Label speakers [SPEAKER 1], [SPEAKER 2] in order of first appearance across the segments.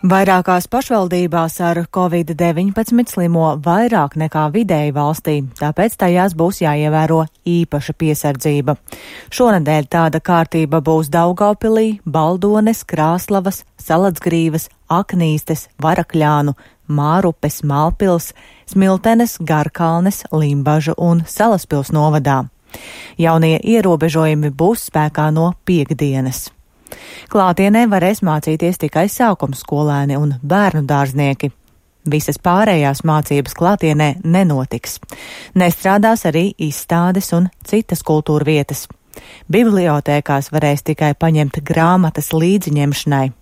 [SPEAKER 1] Vairākās pašvaldībās ar Covid-19 slimo vairāk nekā vidēji valstī, tāpēc tajās būs jāievēro īpaša piesardzība. Šonedēļ tāda kārtība būs Daugavpilī, Baldones, Krāslavas, Saladsgrīvas, Aknīstes, Varakļānu, Mārupes, Malpils, Smiltenes, Garkalnes, Limbažu un Salaspils novadā. Jaunie ierobežojumi būs spēkā no piektdienas. Klātienē varēs mācīties tikai sākumskolēni un bērnu dārznieki. Visas pārējās mācības klātienē nenotiks. Nestrādās arī izstādes un citas kultūra vietas. Bibliotēkās varēs tikai paņemt grāmatas līdziņemšanai.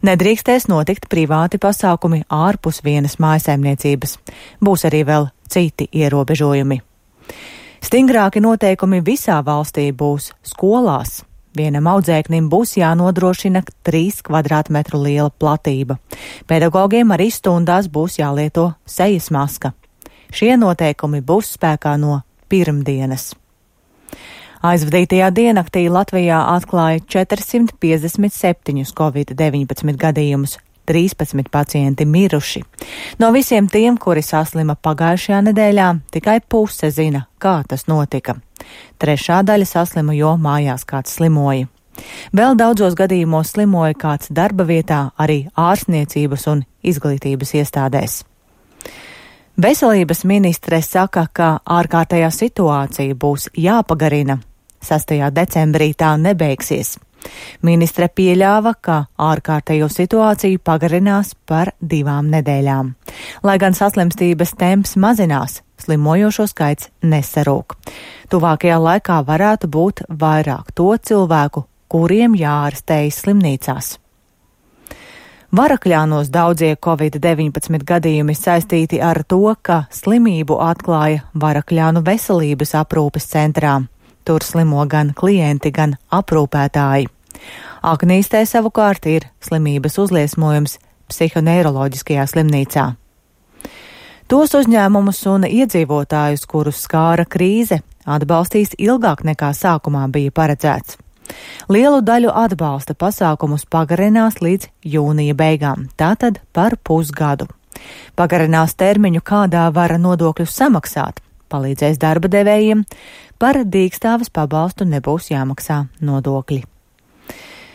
[SPEAKER 1] Nedrīkstēs notikt privāti pasākumi ārpus vienas mājsaimniecības. Būs arī vēl citi ierobežojumi. Stingrāki noteikumi visā valstī būs skolās. Vienam audzēknim būs jānodrošina 3 kvadrātmetru liela platība. Pedagogiem arī stundās būs jālieto sejas maska. Šie noteikumi būs spēkā no pirmdienas. Aizvadītajā diennaktī Latvijā atklāja 457 Covid-19 gadījumus, 13 pacienti miruši. No visiem tiem, kuri saslima pagājušajā nedēļā, tikai puse zina, kā tas notika. Trešā daļa saslima, jo mājās kāds slimoja. Vēl daudzos gadījumos slimoja kāds darba vietā, arī ārstniecības un izglītības iestādēs. Veselības ministre saka, ka ārkārtējā situācija būs jāpagarina. 6. decembrī tā nebeigsies. Ministre pieļāva, ka ārkārtējo situāciju pagarinās par 2 nedēļām. Lai gan saslimstības temps mazinās, slimojošo skaits nesarūk. Tuvākajā laikā varētu būt vairāk to cilvēku, kuriem jāārstējas slimnīcās. Varakļānos daudzie Covid-19 gadījumi saistīti ar to, ka slimību atklāja Varakļānu veselības aprūpes centrā. Tur slimo gan klienti, gan aprūpētāji. Aknīstē savukārt ir slimības uzliesmojums psihoneiroloģiskajā slimnīcā. Tos uzņēmumus un iedzīvotājus, kurus skāra krīze, atbalstīs ilgāk nekā sākumā bija paredzēts. Lielu daļu atbalsta pasākumus pagarinās līdz jūnija beigām, tātad par pusgadu. Pagarinās termiņu, kādā var nodokļus samaksāt, palīdzēs darba devējiem, par dīkstāves pabalstu nebūs jāmaksā nodokļi.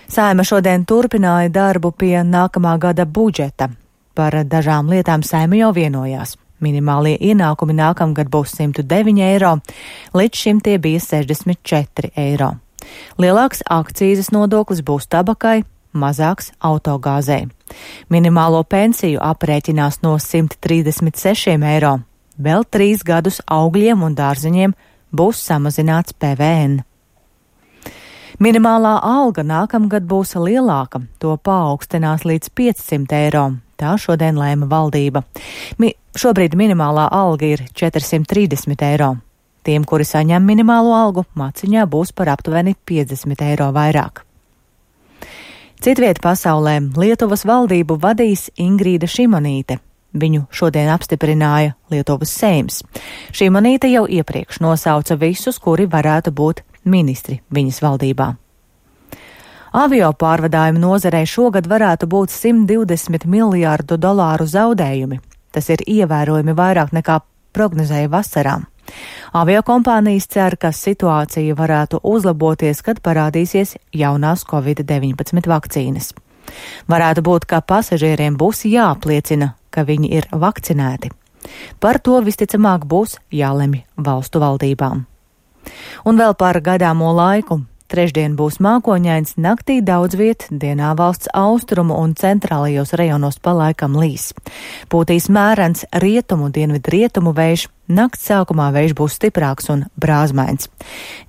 [SPEAKER 1] Saeima šodien turpināja darbu pie nākamā gada budžeta. Par dažām lietām Saeima jau vienojās. Minimālie ienākumi nākamgad būs 109 eiro, līdz šim tie bija 64 eiro. Lielāks akcīzes nodoklis būs tabakai, mazāks autogāzei. Minimālo pensiju aprēķinās no 136 eiro. Vēl 3 gadus augļiem un dārzeņiem būs samazināts PVN. Minimālā alga nākamgad būs lielāka, to paaugstinās līdz 500 eiro. Tā šodien lēma valdība. Šobrīd minimālā alga ir 430 eiro. Tiem, kuri saņem minimālo algu, maciņā būs par aptuveni 50 eiro vairāk. Citviet pasaulē Lietuvas valdību vadīs Ingrīda Šimonīte. Viņu šodien apstiprināja Lietuvas Seims. Šimonīte jau iepriekš nosauca visus, kuri varētu būt ministri viņas valdībā. Avio pārvadājumu nozarei šogad varētu būt $120 miljārdu zaudējumi. Tas ir ievērojami vairāk nekā prognozēja vasarā. Aviokompānijas cer, ka situācija varētu uzlaboties, kad parādīsies jaunās Covid-19 vakcīnas. Varētu būt, ka pasažieriem būs jāapliecina, ka viņi ir vakcinēti. Par to visticamāk būs jālemj valstu valdībām. Un vēl par gaidāmo laiku. Trešdien būs mākoņains, naktī daudz viet, dienā valsts austrumu un centrālajos rajonos pa laikam līs. Pūtīs mērens rietumu, dienvidrietumu vējš, nakts sākumā vējš būs stiprāks un brāzmains.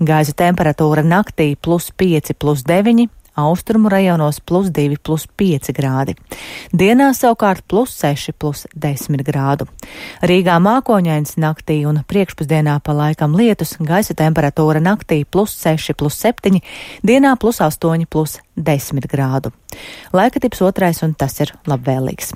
[SPEAKER 1] Gaisa temperatūra naktī +5, +9, austrumu rajonos +2, +5 grādi. Dienā savukārt +6, +10 grādu. Rīgā mākoņains naktī un priekšpusdienā pa laikam lietus, gaisa temperatūra naktī +6, +7, dienā +8, +10 grādu. Laika tips otrais un tas ir labvēlīgs.